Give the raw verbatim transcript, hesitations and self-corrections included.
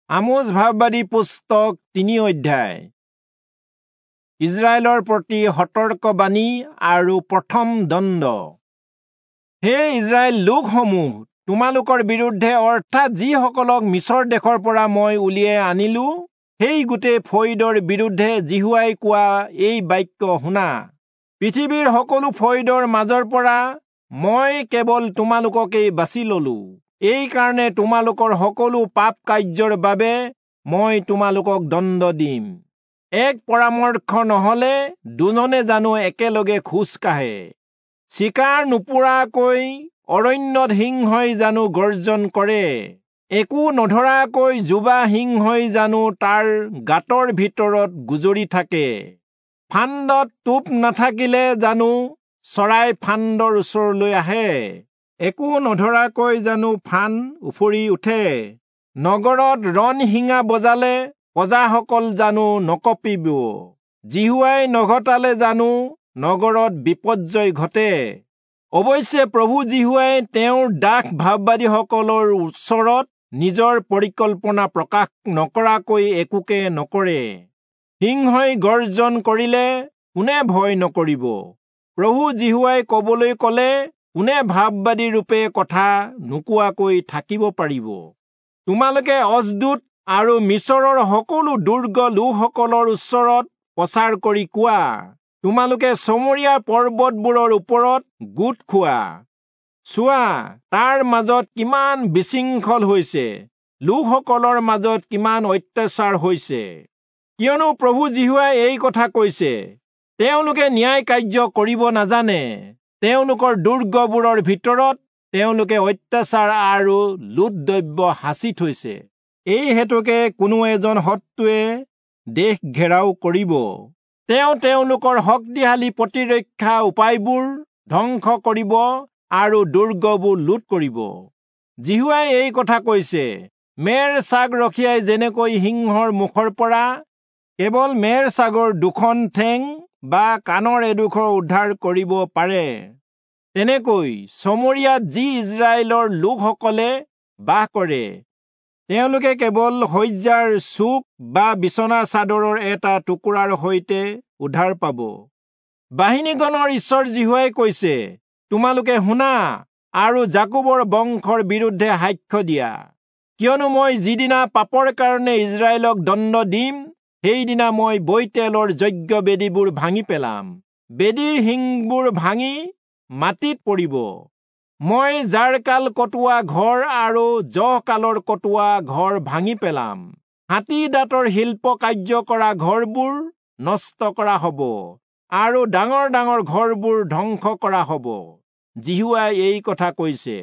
আমোচ ভাববাদী পুস্তক তিনি অধ্যায়। ইজৰাইলৰ প্ৰতি সতৰ্কবাণী আৰু প্ৰথম দণ্ড। হে ইজৰাইল লোকসমূহ, তোমালোকৰ বিৰুদ্ধে অৰ্থাৎ যিসকলক মিচৰ দেশৰ পৰা মই উলিয়াই আনিলো সেই গোটেই ফৈদৰ বিৰুদ্ধে যিহোৱাই কোৱা এই বাক্য শুনা। পৃথিৱীৰ সকলো ফৈদৰ মাজৰ পৰা মই কেৱল তোমালোককেই বাছি ললো, এই কাৰণে তোমালোকৰ সকলো পাপ কাৰ্যৰ বাবে মই তোমালোকক দণ্ড দিম। এক পৰামৰ্শ নহলে দুজনে জানো একেলগে খোজ কাঢ়ে? চিকাৰ নোপোৰাকৈ অৰণ্যত সিংহই জানো গৰ্জন কৰে? একো নধৰাকৈ যুৱা সিংহই জানো তাৰ গাঁতৰ ভিতৰত গুজৰি থাকে? ফান্দত টোপ নাথাকিলে জানো চৰাই ফান্দৰ ওচৰলৈ আহে? একো নধৰাকৈ জানো ফান উফৰি উঠে? নগৰত ৰণশিঙা বজালে প্ৰজাসকল জানো নকঁপিব? যিহোৱাই নঘটালে জানো নগৰত বিপৰ্যয় ঘটে? অৱশ্যে প্ৰভু যিহোৱাই তেওঁৰ দাস ভাববাদীসকলৰ ওচৰত নিজৰ পৰিকল্পনা প্ৰকাশ নকৰাকৈ একোকে নকৰে। সিংহই গৰ্জন কৰিলে কোনে ভয় নকৰিব? প্ৰভু যিহোৱাই কবলৈ কলে কোনে ভাববাদী ৰূপে কথা নোকোৱাকৈ থাকিব পাৰিব? তোমালোকে অজদূত আৰু মিচৰৰ সকলো দুৰ্গ লোকসকলৰ ওচৰত প্ৰচাৰ কৰি কোৱা, তোমালোকে চমৰীয়া পৰ্বতবোৰৰ ওপৰত গোট খোৱা। চোৱা, তাৰ মাজত কিমান বিশৃংখল হৈছে, লোকসকলৰ মাজত কিমান অত্যাচাৰ হৈছে। কিয়নো প্ৰভু যিহোৱাই এই কথা কৈছে, তেওঁলোকে ন্যায় কাৰ্য কৰিব নাজানে, তেওঁলোকৰ দুৰ্গবোৰৰ ভিতৰত তেওঁলোকে অত্যাচাৰ আৰু লুট দ্ৰব্য সাঁচি থৈছে। এই হেতুকে কোনো এজন শত্ৰুৱে দেশ ঘেৰাও কৰিব। তেওঁ তেওঁলোকৰ শক্তিশালী প্ৰতিৰক্ষা উপায়বোৰ ধ্বংস কৰিব আৰু দুৰ্গবোৰ লুট কৰিব। যিহোৱাই এই কথা কৈছে, মেৰ ছাগ ৰখীয়াই যেনেকৈ সিংহৰ মুখৰ পৰা কেৱল মেৰ ছাগৰ দুখন ঠেং বা কাণৰ এডোখৰ উদ্ধাৰ কৰিব পাৰে, তেনেকৈ চমৰীয়াত যি ইজৰাইলৰ লোকসকলে বাস কৰে তেওঁলোকে কেৱল শয্যাৰ চুক বা বিচনা চাদৰৰ এটা টুকুৰাৰ সৈতে উদ্ধাৰ পাব। বাহিনীগণৰ ঈশ্বৰ যিহোৱাই কৈছে, তোমালোকে শুনা আৰু যাকোবৰ বংশৰ বিৰুদ্ধে সাক্ষ্য দিয়া। কিয়নো মই যিদিনা পাপৰ কাৰণে ইজৰাইলক দণ্ড দিম, সেইদিনা মই বৈতেলৰ যজ্ঞ বেদীবোৰ ভাঙি পেলাম, বেদীৰ শিংবোৰ ভাঙি মাটিত পৰিব। মই জাৰকাল কটোৱা ঘৰ আৰু জহকালৰ কটোৱা ঘৰ ভাঙি পেলাম, হাতী দাঁতৰ শিল্প কাৰ্য কৰা ঘৰবোৰ নষ্ট কৰা হব আৰু ডাঙৰ ডাঙৰ ঘৰবোৰ ধ্বংস কৰা হব। যিহোৱাই এই কথা কৈছে।